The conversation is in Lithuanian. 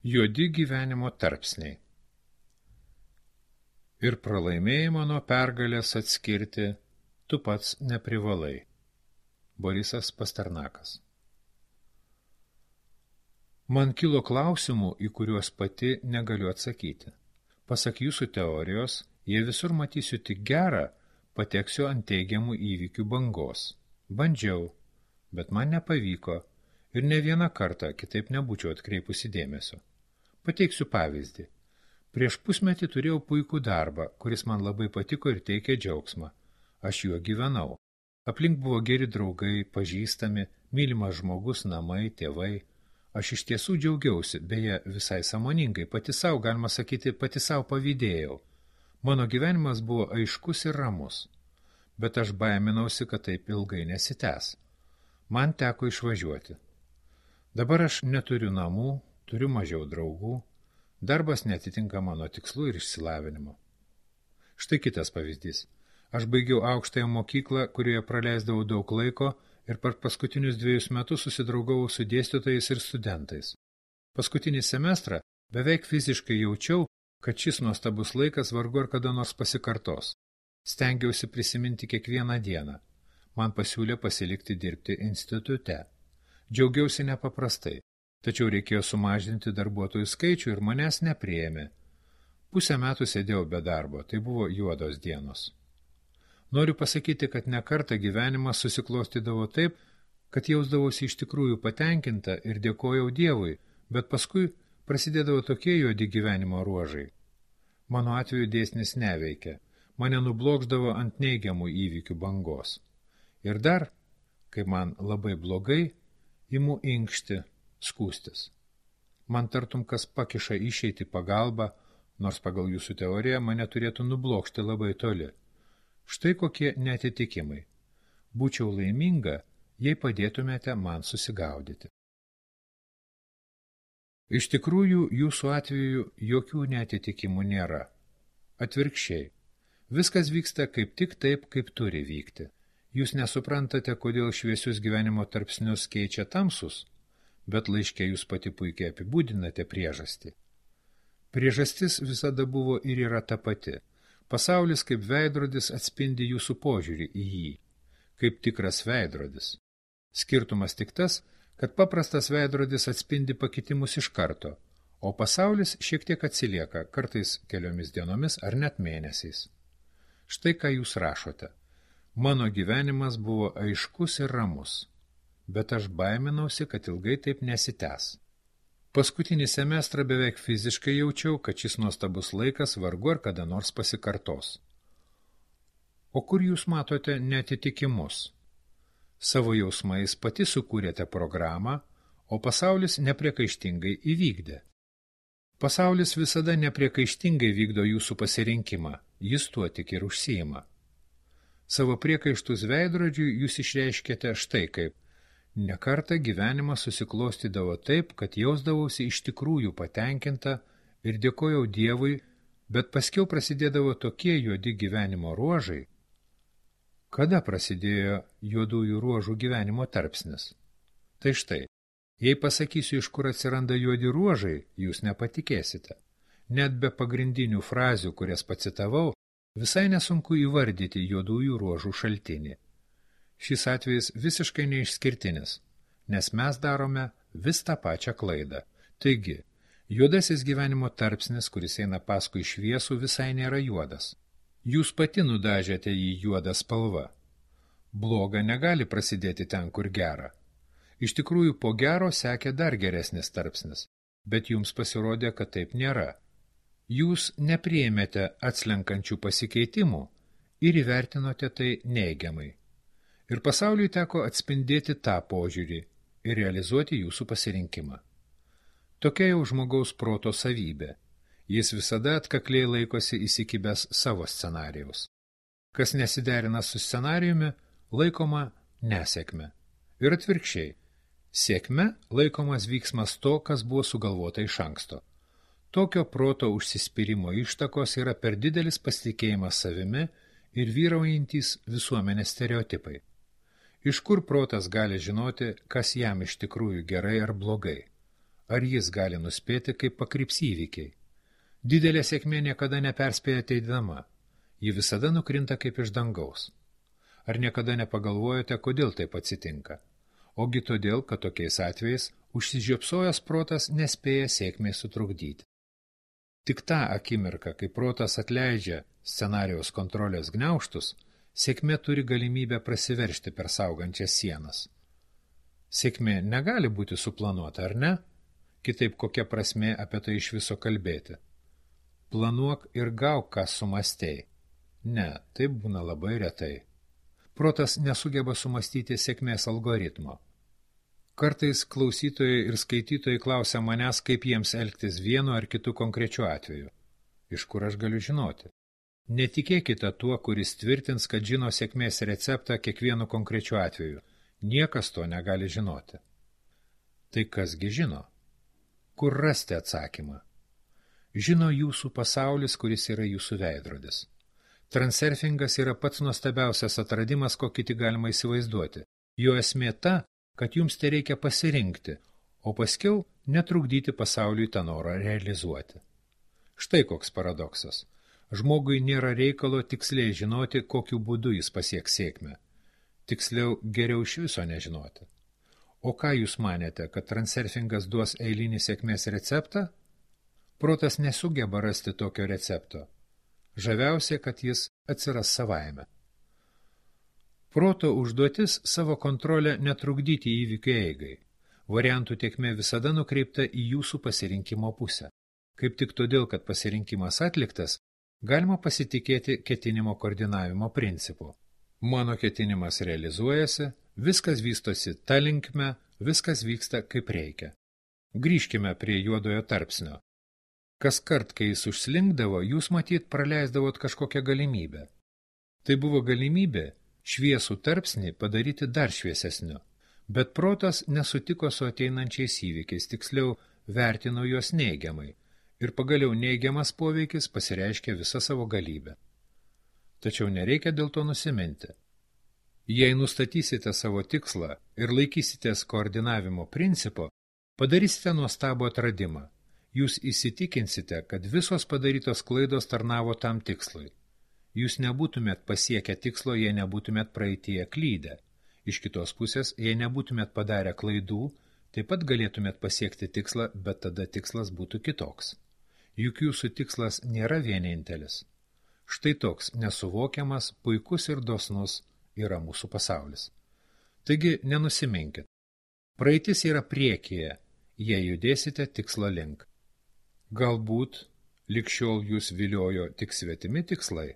Juodi gyvenimo tarpsniai. Ir pralaimėjimo nuo pergalės atskirti tu pats neprivalai. Borisas Pasternakas. Man kilo klausimų, į kuriuos pati negaliu atsakyti. Pasak jūsų teorijos, jei visur matysiu tik gerą, pateksiu ant teigiamų įvykių bangos. Bandžiau, bet man nepavyko ir ne vieną kartą kitaip nebūčiau atkreipusi dėmesio. Pateiksiu pavyzdį. Prieš pusmetį turėjau puikų darbą, kuris man labai patiko ir teikė džiaugsmą. Aš juo gyvenau. Aplink buvo geri draugai, pažįstami, mylimas žmogus, namai, tėvai. Aš iš tiesų džiaugiausi, beje, visai sąmoningai, pati savo, galima sakyti, pati savo pavydėjau. Mano gyvenimas buvo aiškus ir ramus. Bet aš baiminausi, kad taip ilgai nesitęs. Man teko išvažiuoti. Dabar aš neturiu namų, turiu mažiau draugų, darbas netitinka mano tikslų ir išsilavinimo. Štai kitas pavyzdys. Aš baigiau aukštąją mokyklą, kurioje praleisdavau daug laiko ir per paskutinius 2 metus susidraugavau su dėstytojais ir studentais. Paskutinį semestrą beveik fiziškai jaučiau, kad šis nuostabus laikas vargu ar kada nors pasikartos. Stengiausi prisiminti kiekvieną dieną. Man pasiūlė pasilikti dirbti institute. Džiaugiausi nepaprastai. Tačiau reikėjo sumažinti darbuotojų skaičių ir manęs nepriėmė. Pusę metų sėdėjau be darbo, tai buvo juodos dienos. Noriu pasakyti, kad ne kartą gyvenimas susiklostydavo taip, kad jausdavosi iš tikrųjų patenkinta ir dėkojau Dievui, bet paskui prasidėdavo tokie juodi gyvenimo ruožai. Mano atveju dėsnis neveikia, mane nublokšdavo ant neigiamų įvykių bangos. Ir dar, kai man labai blogai, imu inkšti, skūstis. Man tartum kas pakiša išeiti pagalbą, nors pagal jūsų teoriją mane turėtų nublokšti labai toli. Štai kokie neatitikimai. Būčiau laiminga, jei padėtumėte man susigaudyti. Iš tikrųjų, jūsų atveju jokių neatitikimų nėra. Atvirkščiai. Viskas vyksta kaip tik taip, kaip turi vykti. Jūs nesuprantate, kodėl šviesius gyvenimo tarpsnius keičia tamsus, bet laiške jūs pati puikiai apibūdinate priežastį. Priežastis visada buvo ir yra ta pati. Pasaulis kaip veidrodis atspindi jūsų požiūrį į jį, kaip tikras veidrodis. Skirtumas tik tas, kad paprastas veidrodis atspindi pakitimus iš karto, o pasaulis šiek tiek atsilieka, kartais keliomis dienomis ar net mėnesiais. Štai ką jūs rašote. Mano gyvenimas buvo aiškus ir ramus, bet aš baiminausi, kad ilgai taip nesitęs. Paskutinį semestrą beveik fiziškai jaučiau, kad šis nuostabus laikas vargu ar kada nors pasikartos. O kur jūs matote neatitikimus? Savo jausmais pati sukūrėte programą, o pasaulis nepriekaištingai įvykdė. Pasaulis visada nepriekaištingai vykdo jūsų pasirinkimą, jis tuo tik ir užsiima. Savo priekaištus veidrodžiui jūs išreiškėte štai kaip. Nekartą gyvenimas susiklostydavo taip, kad jausdavausi iš tikrųjų patenkinta ir dėkojau Dievui, bet paskiau prasidėdavo tokie juodi gyvenimo ruožai. Kada prasidėjo juodųjų ruožų gyvenimo tarpsnis? Tai štai, jei pasakysiu, iš kur atsiranda juodi ruožai, jūs nepatikėsite. Net be pagrindinių frazių, kurias pacitavau, visai nesunku įvardyti juodųjų ruožų šaltinį. Šis atvejis visiškai neišskirtinis, nes mes darome vis tą pačią klaidą. Taigi, juodasis gyvenimo tarpsnis, kuris eina paskui šviesų, visai nėra juodas. Jūs pati nudažėte jį juodą spalvą. Bloga negali prasidėti ten, kur gera. Iš tikrųjų, po gero sekė dar geresnis tarpsnis, bet jums pasirodė, kad taip nėra. Jūs nepriėmėte atslenkančių pasikeitimų ir įvertinote tai neigiamai. Ir pasauliui teko atspindėti tą požiūrį ir realizuoti jūsų pasirinkimą. Tokia jau žmogaus proto savybė. Jis visada atkakliai laikosi įsikibęs savo scenarijaus. Kas nesiderina su scenarijumi, laikoma nesėkme. Ir atvirkščiai. Sėkme laikomas vyksmas to, kas buvo sugalvota iš anksto. Tokio proto užsispyrimo ištakos yra per didelis pasitikėjimas savimi ir vyraujantys visuomenės stereotipai. Iš kur protas gali žinoti, kas jam iš tikrųjų gerai ar blogai? ar jis gali nuspėti, kaip pakryps įvykiai? Didelė sėkmė niekada neperspėja ateidama, ji visada nukrinta kaip iš dangaus. Ar niekada nepagalvojate, kodėl taip atsitinka? Ogi todėl, kad tokiais atvejais užsižiopsojęs protas nespėja sėkmei sutrukdyti. Tik tą akimirką, kai protas atleidžia scenarijaus kontrolės gniaužtus, sėkmė turi galimybę prasiveržti per saugančias sienas. Sėkmė negali būti suplanuota, ar ne? Kitaip kokia prasmė apie tai iš viso kalbėti? Planuok ir gauk, ką sumastei. Ne, taip būna labai retai. Protas nesugeba sumastyti sėkmės algoritmo. Kartais klausytojai ir skaitytojai klausia manęs, kaip jiems elgtis vienu ar kitu konkrečiu atveju. Iš kur aš galiu žinoti? Netikėkite tuo, kuris tvirtins, kad žino sėkmės receptą kiekvienu konkrečiu atveju. Niekas to negali žinoti. Tai kasgi žino? Kur rasti atsakymą? Žino jūsų pasaulis, kuris yra jūsų veidrodis. Transurfingas yra pats nuostabiausias atradimas, kokį tik galima įsivaizduoti. Jo esmė ta, kad jums tai reikia pasirinkti, o paskiau netrukdyti pasauliui tą norą realizuoti. Štai koks paradoksas. Žmogui nėra reikalo tiksliai žinoti, kokiu būdu jis pasieks sėkmę. Tiksliau, geriau iš viso nežinoti. O ką jūs manėte, kad transurfingas duos eilinį sėkmės receptą? Protas nesugeba rasti tokio recepto. Žaviausia, kad jis atsiras savaime. Proto užduotis savo kontrolę netrukdyti įvykių eigai. Variantų tėkmė visada nukreipta į jūsų pasirinkimo pusę. Kaip tik todėl, kad pasirinkimas atliktas, galima pasitikėti ketinimo koordinavimo principu. Mano ketinimas realizuojasi, viskas vystosi ta linkme, viskas vyksta kaip reikia. Grįžkime prie juodojo tarpsnio. Kaskart, kai jis užslinkdavo, jūs matyt praleisdavot kažkokią galimybę. Tai buvo galimybė šviesų tarpsnį padaryti dar šviesesniu, bet protas nesutiko su ateinančiais įvykiais, tiksliau vertino juos neigiamai, ir pagaliau neigiamas poveikis pasireiškia visą savo galybę. Tačiau nereikia dėl to nusiminti. Jei nustatysite savo tikslą ir laikysitės koordinavimo principo, padarysite nuostabų atradimą. Jūs įsitikinsite, kad visos padarytos klaidos tarnavo tam tikslui. Jūs nebūtumėt pasiekę tikslo, jei nebūtumėt praeityje klydę. Iš kitos pusės, jei nebūtumėt padarę klaidų, taip pat galėtumėt pasiekti tikslą, bet tada tikslas būtų kitoks. Juk jūsų tikslas nėra vienintelis. Štai toks nesuvokiamas, puikus ir dosnus yra mūsų pasaulis. Taigi nenusiminkit. Praeitis yra priekyje, jei judėsite tikslo link. Galbūt lig šiol jūs viliojo tik svetimi tikslai,